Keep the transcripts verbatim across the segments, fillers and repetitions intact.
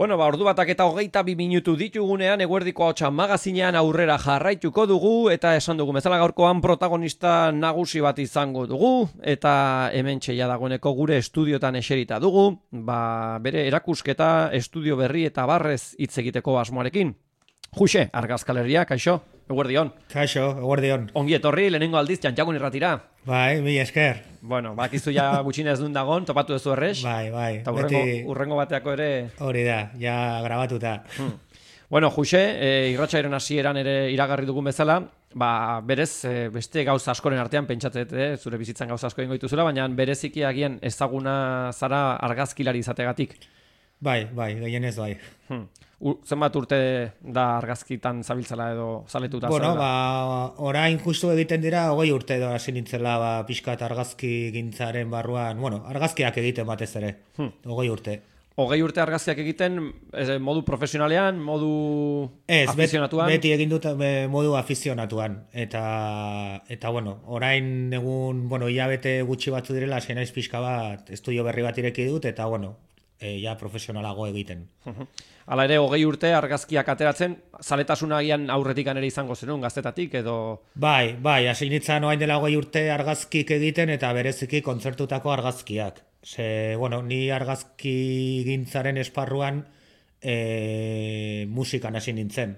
Bueno, ba, ordu batak eta hogeita bi minutu ditugunean, eguerdiko hotxa magazinean aurrera jarraituko dugu, eta esan dugu, bezala gaurkoan protagonista nagusi bat izango dugu, eta hemen txeia dagoeneko gure estudiotan eserita dugu, ba, bere erakusketa, estudio berri eta barrez hitz egiteko asmoarekin. Juxe, argazkaleria, kaixo, eguerdion. Kaixo, eguerdion. Ongi etorri, lehenengo aldiz, Jantjagun irratira. Bai, mi esker. Bueno, bakizu ja gutxinez duen dagon, topatu duzu errez. Bai, bai. Eta urrengo, beti... urrengo bateako ere... Hori da, ja grabatuta. Hmm. Bueno, Juxe, e, irratxairen hasieran ere iragarri dugun bezala, ba, berez, e, beste gauza askoren artean pentsatzet, e, zure bizitzan gauza asko ingo dituzula, baina bereziki agian ezaguna zara argazkilari izategatik. Bai, bai, gehienez bai. Hmm. U, zenbat urte da argazkitan zabiltzala edo zaletuta? Bueno, zela? Ba, orain justu egiten dira, hogei urte edo hasi nintzela ba, pixkat argazki gintzaren barruan, bueno, argazkiak egiten batez ere, hmm. hogei urte. Hogei urte argazkiak egiten, ez, modu profesionalean, modu ez, afizionatuan? Ez, beti egin dut modu afizionatuan, eta, eta bueno, orain egun, bueno, hilabete gutxi batzu direla, zen naiz pixka bat, estudio berri bat ireki dut, eta bueno, e, ja profesionalago egiten. Hala ere, hogei urte argazkiak ateratzen, zaletasuna agian aurretikan ere izango zenun, gaztetatik edo... Bai, bai, hasi nintzen oain dela hogei urte argazkik egiten eta bereziki kontzertutako argazkiak. Ze, bueno, ni argazki gintzaren esparruan e, musikan hasi nintzen.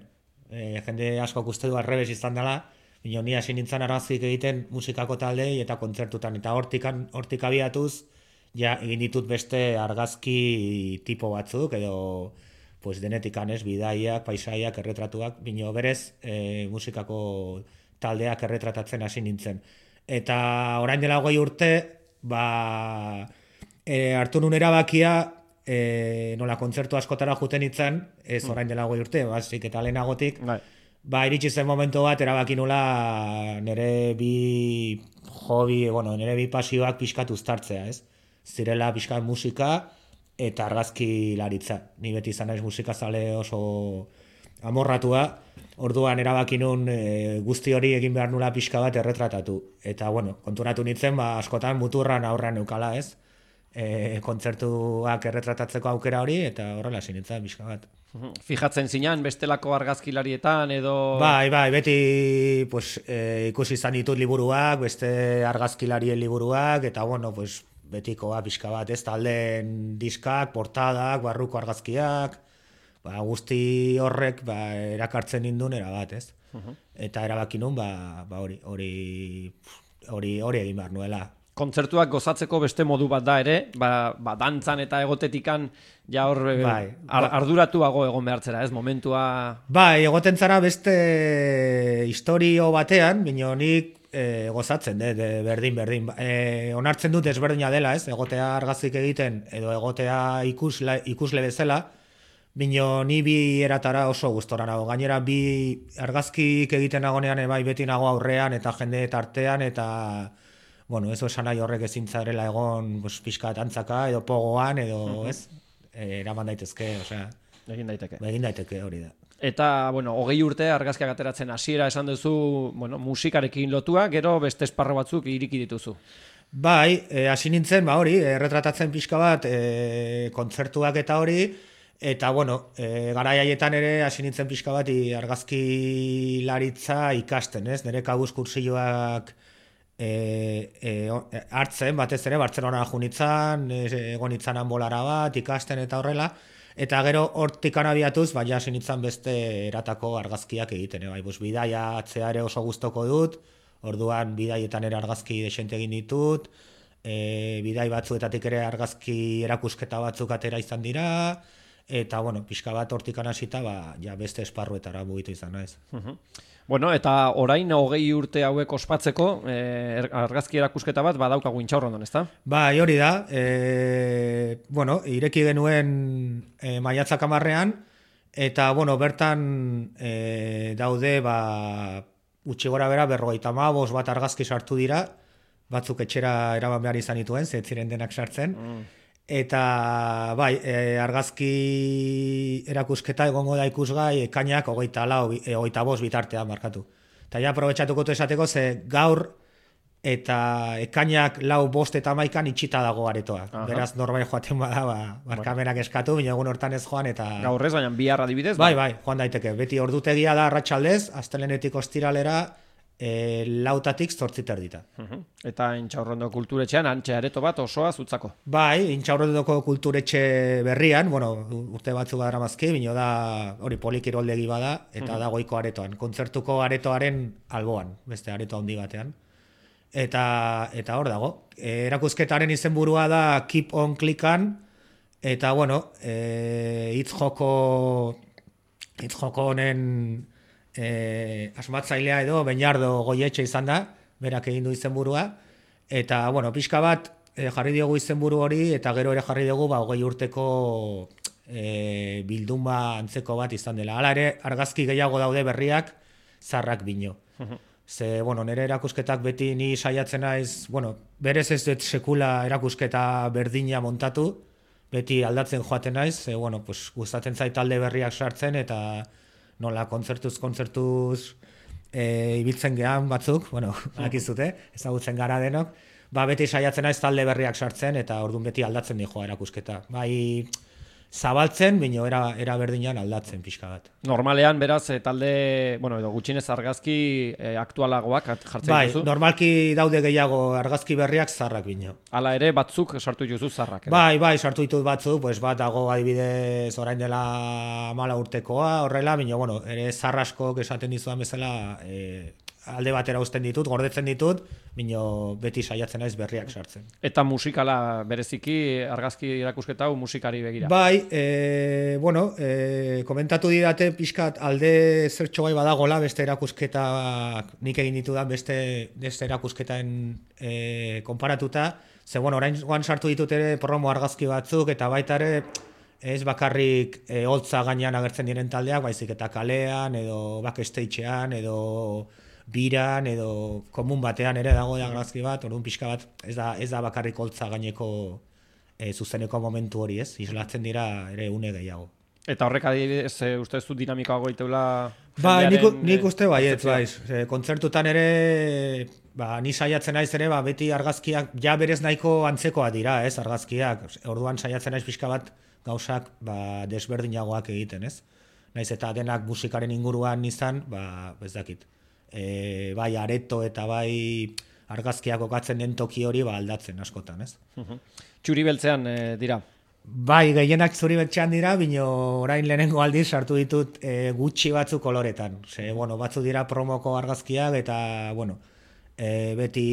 E, jende asko uste du arrebes izan dela, bino ni hasi nintzen argazkik egiten musikako taldei eta kontzertutan. Eta hortikan, hortik abiatuz, ja, egin ditut beste argazki tipo batzuk edo... pues denetikan ez, bidaiak, paisaiak, erretratuak, bino berez e, musikako taldeak erretratatzen hasi nintzen. Eta orain dela hogei urte, ba, e, hartu nun erabakia, e, nola kontzertu askotara juten nintzen, ez orain dela hogei urte, bazik eta lehenagotik, bai. Ba, iritsi zen momentu bat, erabaki nula nire bi hobi, bueno, nire bi pasioak pixkat uztartzea, ez? Zirela pixkat musika, eta argazki laritza. Ni beti izan naiz musikazale oso amorratua, orduan erabaki nun e, guzti hori egin behar nula pixka bat erretratatu. Eta, bueno, konturatu nintzen, ba, askotan muturran aurran eukala, ez? E, kontzertuak erretratatzeko aukera hori, eta horrela hasi nintzen pixka bat. Fijatzen zinan, bestelako argazkilarietan edo... Bai, bai, beti pues, e, ikusi izan ditut liburuak, beste argazkilarien liburuak, eta, bueno, pues, betikoa pixka bat, ez, taldeen diskak, portadak, barruko argazkiak, ba, guzti horrek ba, erakartzen nindun erabat, ez? Uh-huh. Eta erabaki nun, ba, ba hori, hori, hori, hori egin behar nuela. Kontzertuak gozatzeko beste modu bat da ere, ba, ba dantzan eta egotetikan ja hor bai, ar, arduratuago egon behartzera, ez, momentua... Bai, egoten zara beste historio batean, bino nik E, gozatzen, de, de, berdin, berdin. E, onartzen dut ezberdina dela, ez? Egotea argazkik egiten, edo egotea ikusle, ikusle bezala, bino ni bi eratara oso gustora nago. Gainera, bi argazkik egiten nagonean, bai beti nago aurrean, eta jende tartean, eta, bueno, ez esan nahi horrek ezintzarela egon, pues, pixka tantzaka, edo pogoan, edo, uh-huh. ez? E, eraman daitezke, osea... Egin daiteke. Egin daiteke, hori da. Eta, bueno, hogei urte argazkiak ateratzen hasiera esan duzu, bueno, musikarekin lotua, gero beste esparro batzuk iriki dituzu. Bai, e, hasi nintzen, ba hori, erretratatzen pixka bat, e, kontzertuak eta hori, eta, bueno, e, garai haietan ere hasi nintzen pixka bat argazki laritza ikasten, ez? Nire kabuz kursioak e, e, hartzen, batez ere, Bartzelonara junitzan, e, egon itzanan bolara bat, ikasten eta horrela, eta gero hortikan abiatuz, baina hasi nintzen beste eratako argazkiak egiten. Bai, bus, bidaia atzea ere oso gustoko dut, orduan bidaietan ere argazki desente egin ditut, e, bidai batzuetatik ere argazki erakusketa batzuk atera izan dira, eta, bueno, pixka bat hortikan hasita, ba, ja beste esparruetara mugitu izan naiz. Uh-huh. Bueno, eta orain hogei urte hauek ospatzeko, eh, argazki erakusketa bat badaukagu Intxaurrondon, ezta? Bai, hori da. E, bueno, ireki genuen e, maiatzak hamarrean, eta, bueno, bertan e, daude, ba, utzi gora bera, berrogeita hamabost bat argazki sartu dira, batzuk etxera eraman behar izan dituen, ze ez ziren denak sartzen, mm. Eta, bai, e, argazki erakusketa egongo da ikusgai ekainak hogeita lau, hogeita bost bitartean markatu. Eta ja, aprobetxatuko esateko, ze gaur eta ekainak lau bost eta maikan itxita dago aretoa. Aha. Beraz, norbait joaten bada, ba, barkamenak eskatu, baina egun hortan ez joan, eta... Gaur ez, baina bihar adibidez. Bai, bai, joan daiteke. Beti ordutegia da arratsaldez, astelehenetik ostiralera, e, lautatik zortzit erdita. Uh-huh. Eta Intxaurrondo kulturetxean, antxe areto bat osoa zutzako. Bai, Intxaurrondoko kulturetxe berrian, bueno, urte batzuk badaramazki, bino da hori polikiroldegi bada, eta uh-huh. da goiko aretoan. Kontzertuko aretoaren alboan, beste areto handi batean. Eta, eta hor dago. E, erakusketaren izenburua da Keep on Clickan, eta bueno, e, hitz joko hitz joko honen e, asmatzailea edo Beñardo Goietxe izan da, berak egin du izenburua, eta bueno, pixka bat e, jarri diogu izenburu hori, eta gero ere jarri dugu ba, hogei urteko e, bilduma antzeko bat izan dela. Hala ere, argazki gehiago daude berriak, zarrak bino. Ze, bueno, nire erakusketak beti ni saiatzen naiz, bueno, berez ez dut sekula erakusketa berdina montatu, beti aldatzen joaten naiz, ze, bueno, pues, gustatzen zait talde berriak sartzen, eta nola kontzertuz, kontzertuz e, ibiltzen gehan batzuk, bueno, akizute, ezagutzen gara denok, ba, beti saiatzen naiz talde berriak sartzen, eta orduan beti aldatzen di joa erakusketa. Bai, zabaltzen, bino era, era berdinan aldatzen pixka bat. Normalean, beraz, e, talde, bueno, edo gutxinez argazki e, aktualagoak jartzen bai, duzu? Bai, normalki daude gehiago argazki berriak zarrak bino. Hala ere, batzuk sartu duzu zarrak. Ere. Bai, bai, sartu ditut batzuk, pues bat dago adibidez orain dela mala urtekoa, horrela, bino, bueno, ere zarraskok esaten dizudan bezala, e, alde batera uzten ditut, gordetzen ditut, bino beti saiatzen naiz berriak sartzen. Eta musikala bereziki argazki erakusketa hau musikari begira. Bai, e, bueno, e, komentatu didate pixkat alde zertxo bai badagola beste erakusketa nik egin ditudan beste, beste erakusketaen e, konparatuta, ze bueno, orain guan sartu ditut ere promo argazki batzuk, eta baita ere ez bakarrik e, holtza gainean agertzen diren taldeak, baizik eta kalean, edo backstagean, edo biran edo komun batean ere dago argazki bat, orduan pixka bat ez da, ez da bakarrik holtza gaineko e, zuzeneko momentu hori, ez? Islatzen dira ere une gehiago. Eta horrek adibidez, e, uste ez du dinamikago goiteula Bai, nik, jendearen, nik uste baiet, kontzeptzioa? bai. E, kontzertutan ere, ba, ni saiatzen naiz ere, ba, beti argazkiak ja berez nahiko antzekoa dira, ez, argazkiak. Orduan saiatzen naiz pixka bat gauzak ba, desberdinagoak egiten, ez? Naiz eta denak musikaren inguruan izan, ba, ez dakit. E, bai areto eta bai argazkiak kokatzen den toki hori ba aldatzen askotan, ez? Txuri beltzean e, dira. Bai, gehienak zuri beltzean dira, bino orain lehenengo aldiz sartu ditut e, gutxi batzuk koloretan. Ze, bueno, batzu dira promoko argazkiak eta, bueno, e, beti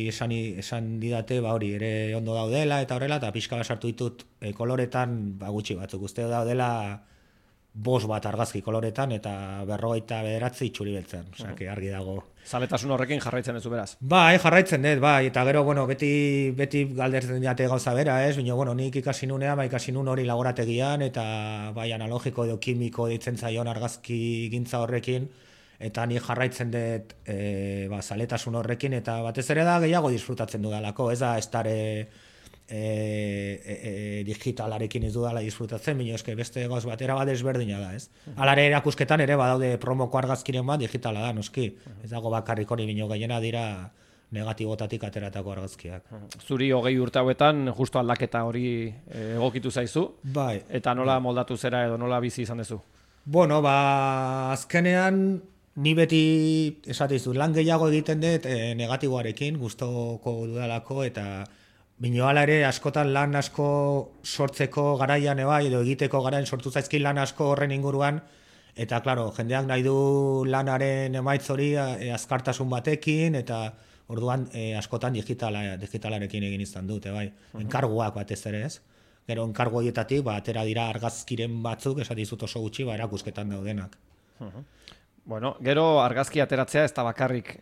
esan, esan didate, ba hori, ere ondo daudela eta horrela, eta pixka bat sartu ditut e, koloretan ba gutxi batzuk. Uste daudela bost bat argazki koloretan eta berrogeita bederatzi txuri beltzen, osea, que argi dago. Zaletasun horrekin jarraitzen duzu beraz. Bai, jarraitzen dut, bai, eta gero, bueno, beti, beti galdetzen diate gauza bera, ez? Bino, bueno, nik ikasi nunean, ba, ikasi nun hori laborategian, eta bai, analogiko edo kimiko ditzen zaion argazki gintza horrekin, eta ni jarraitzen dut e, ba, zaletasun horrekin, eta batez ere da gehiago disfrutatzen dudalako, ez da, ez dare E, e, e, digitalarekin ez dudala disfrutatzen, bino eske beste gauz bat era bat desberdina da, ez? Alare erakusketan ere badaude promoko argazkiren bat digitala da, noski. Ez dago bakarrik hori, bino gehiena dira negatibotatik ateratako argazkiak. Zuri hogei urte hauetan justo aldaketa hori egokitu zaizu, bai, eta nola moldatu zera edo nola bizi izan duzu? Bueno, ba, azkenean ni beti esatizu, lan gehiago egiten dut e, negatiboarekin, gustoko dudalako, eta bino hala ere, askotan lan asko sortzeko garaian ebai, edo egiteko garaian sortu zaizkin lan asko horren inguruan, eta, klaro, jendeak nahi du lanaren emaitz hori e, azkartasun batekin, eta orduan e, askotan digitala, digitalarekin egin izan dut, ebai. Enkarguak batez ere, ez? Gero enkargu horietatik, ba, atera dira argazkiren batzuk, esatizut oso gutxi, ba, erakusketan daudenak. Bueno, gero argazki ateratzea ez da bakarrik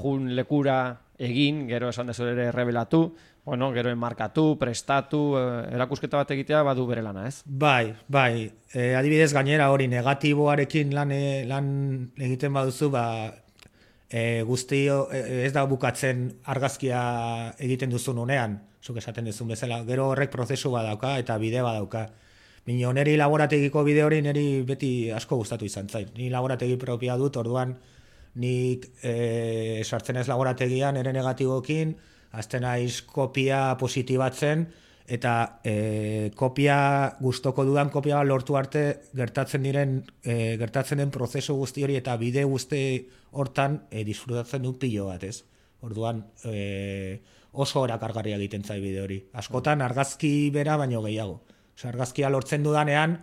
jun lekura egin, gero esan dezu ere revelatu, bueno, gero enmarkatu, prestatu, erakusketa bat egitea badu bere lana, ez? Bai, bai. E, adibidez gainera hori negatiboarekin lan, e, lan egiten baduzu, ba, e, guztio e, ez da bukatzen argazkia egiten duzun unean, zuk esaten duzun bezala, gero horrek prozesu badauka eta bide badauka. Bino, neri laborategiko bide hori neri beti asko gustatu izan zait. Ni laborategi propia dut, orduan nik e, sartzen ez laborategian ere negatibokin, azten naiz kopia positibatzen, eta e, kopia gustoko dudan kopia lortu arte gertatzen diren e, gertatzen den prozesu guzti hori eta bide guzti hortan e, disfrutatzen dut pilo bat, ez? Orduan e, oso erakargarria egiten zai bide hori. Askotan argazki bera baino gehiago. Osea, argazkia lortzen dudanean,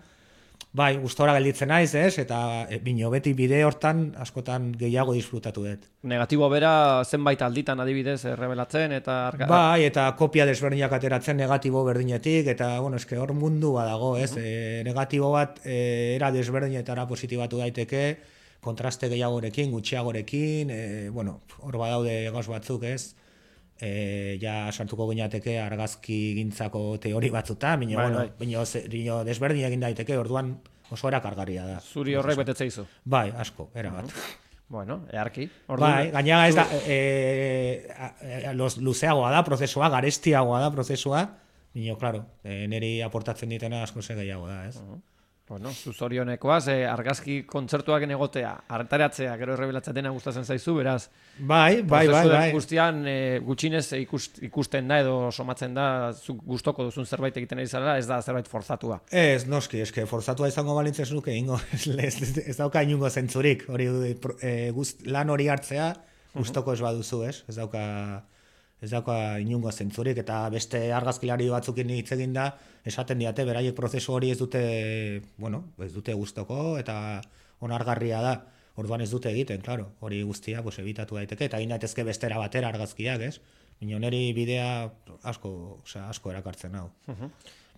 bai, gustora gelditzen naiz, ez? Eta e, bino beti bide hortan askotan gehiago disfrutatu dut. Negatibo bera zenbait alditan adibidez errebelatzen eta... Arga... Bai, eta kopia desberdinak ateratzen negatibo berdinetik, eta, bueno, eske hor mundu badago, ez? Uh-huh. E, negatibo bat e, era desberdinetara positibatu daiteke, kontraste gehiagorekin, gutxiagorekin, e, bueno, hor badaude gauz batzuk, ez? E, ja sartuko gineateke argazki gintzako teori batzuta, bino, bai, bueno, bai. bino, bino desberdin egin daiteke, orduan oso erakargarria da. Zuri horrek betetzea izu? Bai, asko, erabat. Uh-huh. Bueno, earki. Bai, gainera ez da, e, e, los, luzeagoa da prozesua, garestiagoa da prozesua, bino, claro, e, niri aportatzen ditena asko ze gehiago da, ez? Uh-huh. Bueno, zuzorionekoaz, eh, argazki kontzertuak egotea, artaratzea, gero errebelatzea dena gustatzen zaizu, beraz. Bai, bai, bai, bai. Guztian e, gutxinez ikust, ikusten da edo somatzen da, zuk gustoko duzun zerbait egiten ari zara, ez da zerbait forzatua. Ez, noski, eske forzatua izango balintzen nuke, ingo, ez, ez, ez dauka inungo zentzurik, hori e, gust, lan hori hartzea, gustoko ez baduzu, ez? Ez dauka... ez dauka inungo zentzurik, eta beste argazkilari batzukin hitz egin da, esaten diate, beraiek prozesu hori ez dute, bueno, ez dute gustoko, eta onargarria da, orduan ez dute egiten, claro, hori guztia, pues, ebitatu daiteke, eta egin daitezke bestera batera argazkiak, ez? Baina niri bidea asko, osea, asko erakartzen hau. Uh-huh.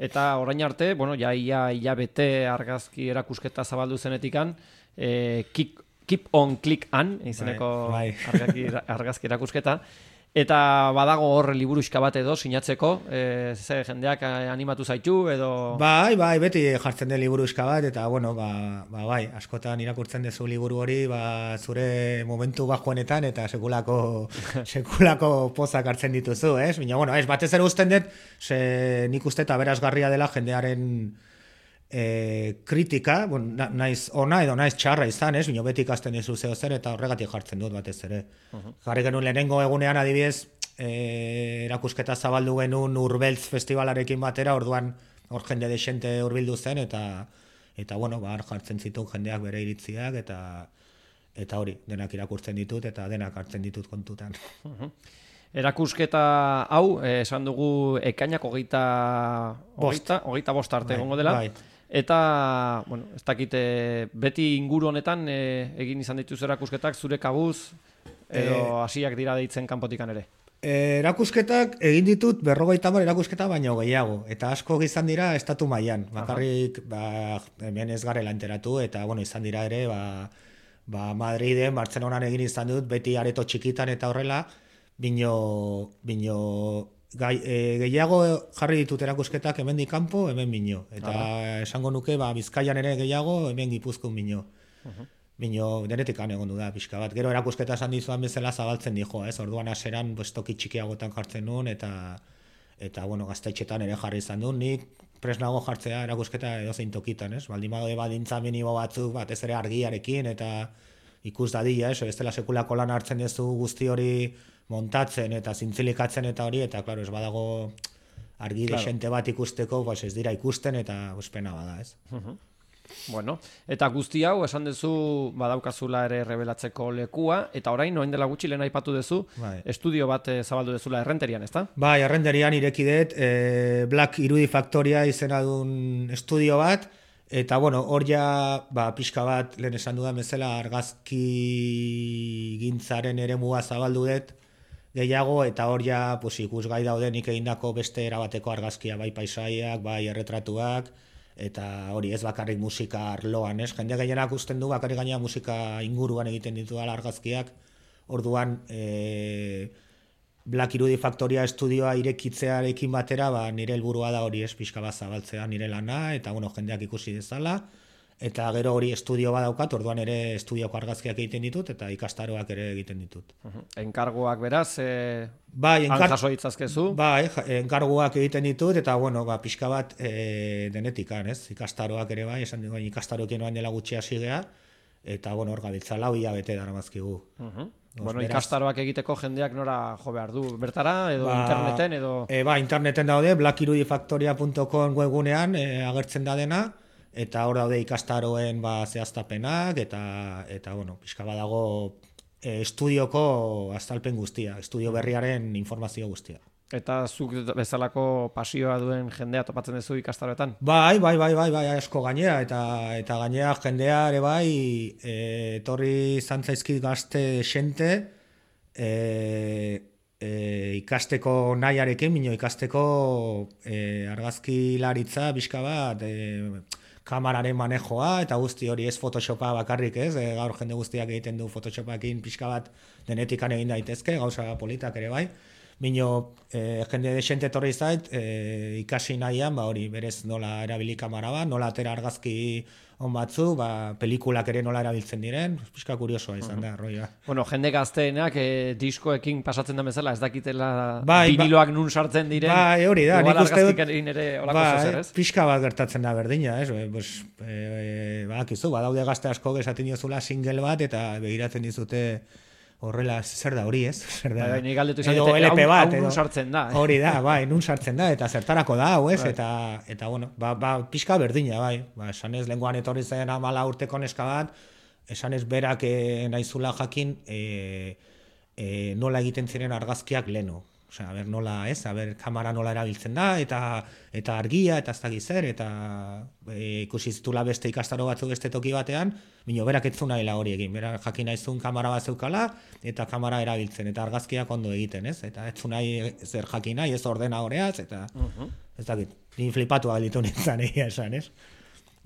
Eta orain arte, bueno, ja ia, ia bete argazki erakusketa zabaldu zenetikan, eh, keep, keep on click on, izeneko bai, bai. argazki, argazki erakusketa, eta badago hor liburuxka bat edo sinatzeko, e, ze jendeak animatu zaitu edo... Bai, bai, beti jartzen den liburuxka bat, eta bueno, ba, ba, bai, askotan irakurtzen dezu liburu hori, ba, zure momentu bajoenetan, eta sekulako, sekulako pozak hartzen dituzu, ez? Baina, bueno, ez, batez ere usten dut, ze nik uste eta berazgarria dela jendearen e, kritika, bon, na, naiz ona edo naiz txarra izan, ez? Bino beti ikasten dizu zeo zer, eta horregatik jartzen dut batez ere. Uh-huh. Jarri genuen lehenengo egunean adibidez, e, erakusketa zabaldu genuen Urbeltz festivalarekin batera, orduan hor jende desente hurbildu zen, eta eta bueno, ba, jartzen zituen jendeak bere iritziak, eta eta hori, denak irakurtzen ditut, eta denak hartzen ditut kontutan. Uh-huh. Erakusketa hau, eh, esan dugu ekainak hogeita hogeita, hogeita bost arte egongo dela. Bai. Eta, bueno, ez dakite, beti inguru honetan e, egin izan dituz erakusketak zure kabuz edo hasiak dira deitzen kanpotikan ere? E, erakusketak egin ditut berrogeita hamar erakusketa baino gehiago, eta asko izan dira estatu mailan. Bakarrik, ba, hemen ez garela enteratu, eta bueno, izan dira ere, ba, ba Madriden, Bartzelonan egin izan dut, beti areto txikitan eta horrela, bino, bino gai, e, gehiago jarri ditut erakusketak hemendik kanpo, hemen bino. Eta Aha. esango nuke, ba, Bizkaian ere gehiago, hemen Gipuzkoan bino. Uh-huh. Bino, denetik egon du da, pixka bat. Gero erakusketa esan dizuan bezala zabaltzen dijo, ez? Orduan aseran, toki txikiagotan jartzen nuen, eta, eta bueno, gaztaitxetan ere jarri izan duen. Nik presnago jartzea erakusketa edozein tokitan, ez? Baldin badu badintza minimo batzuk, batez ere argiarekin, eta ikus dadila, ez? Ez dela sekulako lan hartzen duzu guzti hori montatzen eta zintzilikatzen eta hori, eta klaro, ez badago argi claro. Desente bat ikusteko, pues ez dira ikusten, eta pues, pena bada, ez? Uh-huh. Bueno, eta guzti hau, esan duzu badaukazula ere revelatzeko lekua, eta orain, noen dela gutxi lehen aipatu duzu, bai. Estudio bat e, zabaldu duzula Errenterian, ezta? Bai, Errenterian ireki dut, e, Black Irudi Factoria izena duen estudio bat, eta bueno, hor ja, ba, pixka bat, lehen esan dudan bezala, argazki gintzaren ere muga zabaldu dut, gehiago, eta hor ja, pues, ikusgai daudenik egindako beste erabateko argazkia, bai paisaiak, bai erretratuak, eta hori ez bakarrik musika arloan, ez? Jende gehienak usten du bakarrik gaina musika inguruan egiten ditu argazkiak, orduan e, Black Irudi Factoria estudioa irekitzearekin batera, ba, nire helburua da hori ez pixka bat zabaltzea nire lana, eta bueno, jendeak ikusi dezala, eta gero hori estudio badaukat, orduan ere estudioko argazkiak egiten ditut, eta ikastaroak ere egiten ditut. Uh-huh. Enkarguak beraz, e... bai, enkar... jaso itzazkezu? Bai, enkarguak egiten ditut, eta bueno, ba, pixka bat e, denetikan, ez? Ikastaroak ere bai, esan dugu, ikastaroekin oan dela gutxi hasi gea, eta bueno, hor gabiltza lau hilabete daramazkigu. Uh-huh. Bueno, beraz, ikastaroak egiteko jendeak nora jo behar du? Bertara, edo ba, interneten, edo... E, ba, interneten daude, black irudifactoria punto com webgunean e, agertzen da dena, eta hor daude ikastaroen ba, zehaztapenak, eta, eta bueno, pixka badago e, estudioko azalpen guztia, estudio berriaren informazio guztia. Eta zuk bezalako pasioa duen jendea topatzen duzu ikastaroetan? Bai, bai, bai, bai, bai, asko gainea, eta eta gainea jendea ere bai, e, etorri zantzaizkit gazte xente, e, e, ikasteko nahiarekin, mino ikasteko e, argazkilaritza bizka bat, e, kamararen manejoa, eta guzti hori ez Photoshopa bakarrik ez, e, gaur jende guztiak egiten du Photoshopakin pixka bat denetikan egin daitezke, gauza politak ere bai. Mino, eh, jende desente torri zait, eh, ikasi nahian, ba hori, berez nola erabili kamara bat, nola atera argazki on batzu, ba, pelikulak ere nola erabiltzen diren, pixka kuriosoa izan da, roia. Bueno, jende gazteenak eh, diskoekin pasatzen da bezala, ez dakitela bai, viniloak nun sartzen diren, bai, hori da, nik uste dut, bai, pixka bat gertatzen da berdina, ez, e, pues, e, ba, kizu, badaude gazte asko esaten diozula single bat, eta begiratzen dizute, horrela, zer da hori, ez? Zer da, bai, nik galdetu izan dute, hau, hau nun sartzen da. Eh? Hori da, bai, nun sartzen da, eta zertarako da, hau, ez? Bai. Eta, eta, bueno, ba, ba, pixka berdina, bai. Ba, esan ez, lenguan etorri zen amala urteko neska bat, esan ez berak e, nahizula jakin e, e, nola egiten ziren argazkiak leno. Osea, a ber, nola, ez? A ber, kamera nola erabiltzen da, eta eta argia, eta ez dakiz zer, eta e, ikusi zitula beste ikastaro batzuk beste toki batean, bino, berak ez zunaila hori egin, berak jakin naizun kamera bat zeukala, eta kamera erabiltzen, eta argazkiak ondo egiten, ez? Eta ez zunai zer jakin nahi, ez ordena horeaz, eta uh-huh. ez dakit, ni flipatu abalitu nintzen egia esan, ez?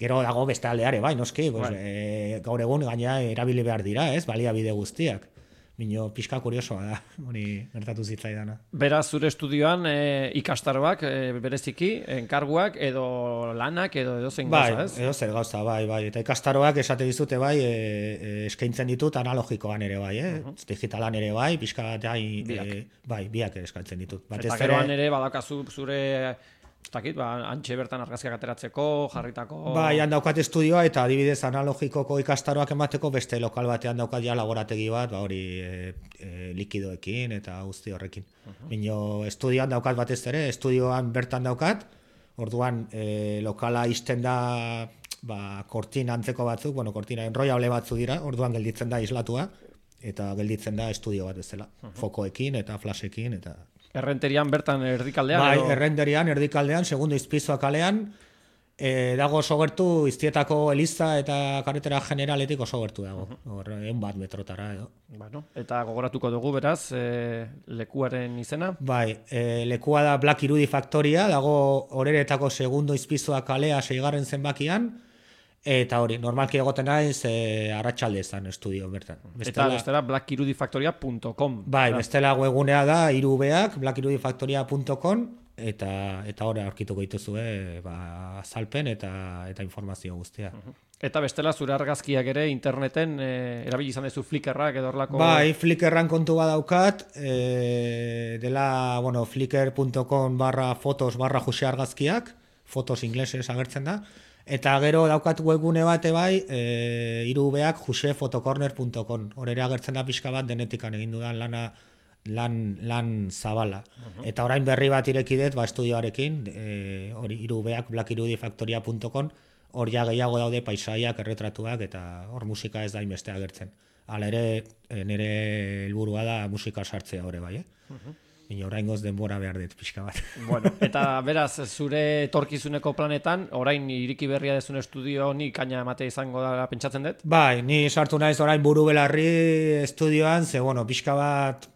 Gero dago beste aldeare, bai, noski, pues, e, gaur egun gaina erabili behar dira, ez? Baliabide guztiak. Mino, pixka kuriosoa da, hori gertatu zitzaidana. Beraz, zure estudioan e, ikastaroak e, bereziki, enkarguak edo lanak edo edo zen bai, gauza, ez? Bai, edo zer gauza, bai, bai. Eta ikastaroak esate dizute bai, e, e, eskaintzen ditut analogikoan ere bai, eh? Uh-huh. Digitalan ere bai, pixka bat bai, biak. E, bai, biak ere eskaintzen ditut. Batez eta geroan ere badakazu zure... Takit, ba, antxe bertan argazkiak ateratzeko, jarritako... Bai, han daukat estudioa eta adibidez analogikoko ikastaroak emateko beste lokal batean daukat ja laborategi bat, ba hori e, e, likidoekin eta guzti horrekin. Uh-huh. Bino, estudioan daukat batez ere, estudioan bertan daukat, orduan e, lokala izten da ba, kortina antzeko batzuk, bueno, kortina enrollable batzu dira, orduan gelditzen da islatua, eta gelditzen da estudio bat bezala, uh-huh. fokoekin eta flashekin eta... Errenterian bertan erdikaldean? Bai, edo... errenterian, erdikaldean, segundo izpizoa kalean, e, dago oso gertu, Iztietako Eliza eta Karretera Generaletik oso gertu dago, hor, uh-huh. egun bat metrotara edo. Bueno, eta gogoratuko dugu, beraz, e, lekuaren izena? Bai, e, lekua da Black Irudi Factoria, dago horeretako segundo izpizoa kalea seigarren zenbakian, eta hori, normalki egoten naiz e, arratsalde ezan estudio bertan. Bestela, eta bestela black irudifactoria punto com. Bai, da. Bestela webgunea da irubeak black irudifactoria punto com eta eta hori aurkituko dituzue ba, azalpen eta eta informazio guztia. Uh-huh. Eta bestela zure argazkiak ere interneten e, erabili izan duzu Flickrrak edo horlako... Bai, Flickrran kontu badaukat, e, dela, bueno, flickr punto com barra fotos barra Jose argazkiak, fotos inglesez agertzen da, eta gero daukat webgune bate bai, e, irubeak jose fotocorner punto com. Hor ere agertzen da pixka bat denetikan egin dudan lana, lan, lan zabala. Uh-huh. Eta orain berri bat ireki dut, ba, estudioarekin, e, hori irubeak black irudifactoria punto com, hor ja gehiago daude paisaiak, erretratuak, eta hor musika ez da inbeste agertzen. Hala ere, nire helburua da musika sartzea hori bai, eh? Uh-huh. Ino oraingoz denbora behar dut pixka bat. Bueno, eta beraz, zure etorkizuneko planetan, orain iriki berria dezun estudio honi kaina ematea izango da pentsatzen dut? Bai, ni sartu naiz orain buru belarri estudioan, ze, bueno, pixka bat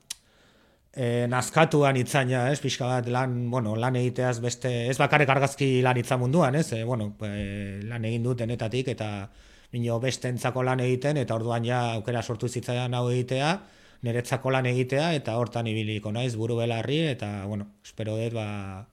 e, nazkatuan itzaina, ez, pixka bat lan, bueno, lan egiteaz beste, ez bakarrik argazki lan itza munduan, ez, e, bueno, e, lan egin dut denetatik, eta nino bestentzako lan egiten, eta orduan ja aukera sortu zitzaidan hau egitea, niretzako lan egitea, eta hortan ibiliko naiz buru belarri, eta, bueno, espero dut, ba,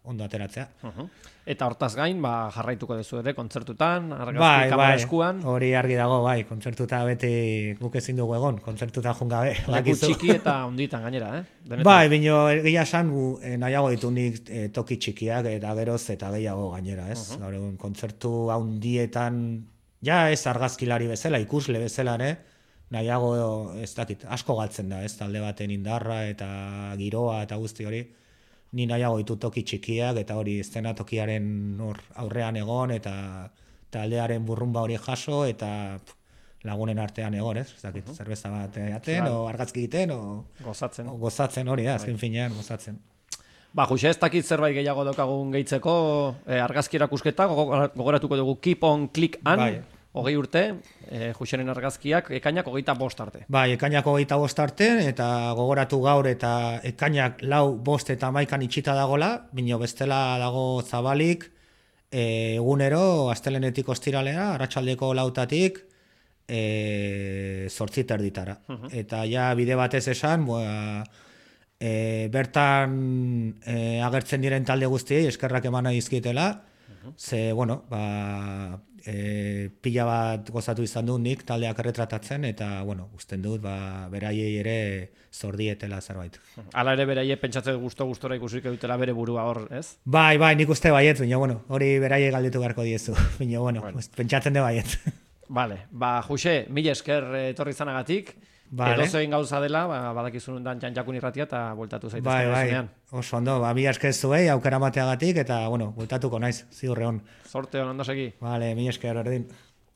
ondo ateratzea. Uh-huh. Eta hortaz gain, ba, jarraituko dezu ere, kontzertutan, argazki bai, kamera bai, eskuan. Hori argi dago, bai, kontzertuta beti guk ezin dugu egon, kontzertuta jungabe. Leku txiki eta onditan gainera, eh? Benetan. Bai, bino, egia esan, eh, nahiago ditu nik eh, toki txikiak, eta geroz, eta gehiago gainera, ez? Uh-huh. Gaur egun, kontzertu handietan Ja ez argazkilari bezala, ikusle bezala, ne? Nahiago, ez dakit, asko galtzen da, ez talde baten indarra eta giroa eta guzti hori. Ni nahiago ditut toki txikiak eta hori eszenatokiaren hor aurrean egon eta taldearen burrumba hori jaso eta pff, lagunen artean egon, ez? Ez dakit, zerbeza bat jaten, Claro. o argazki egiten, o, Gozatzen. o gozatzen hori, da, azken finean gozatzen. Ba, Juxe, ez dakit zerbait gehiago daukagun gehitzeko, eh, argazki erakusketa, gogo- gogoratuko dugu Keep on Click an, Bai. hogei urte, eh, Juxeren argazkiak, ekainak hogeita bost arte. Bai, ekainak hogeita bost arte, eta gogoratu gaur eta ekainak lau bost eta maikan itxita dagola, bino bestela dago zabalik, e, egunero, astelenetik ostiralera, arratsaldeko lautatik, e, zortzit erditara. Eta ja bide batez esan, boa, e, bertan e, agertzen diren talde guztiei eskerrak eman nahi dizkietela, ze, bueno, ba, e, pila bat gozatu izan dut nik taldeak erretratatzen, eta, bueno, usten dut, ba, beraiei ere zordietela zerbait. Hala ere beraie pentsatzen gusto-gustora ikusik dutela bere burua hor, ez? Bai, bai, nik uste baiet, baina, bueno, hori beraiei galdetu beharko diezu, baina, bueno, Bueno. pentsatzen de baiet. Vale, ba, Juxe, mila esker eh, etorri zanagatik, Vale. edozein gauza dela, ba, badakizun dan Jan-Jakun irratia eta bueltatu zaitezke Bai, bai, zuzenean. oso ondo, ba, mila esker zuei, aukera mateagatik, eta, bueno, bueltatuko naiz, ziur egon. Zorte hon ondo segi. Vale, mila esker erdin.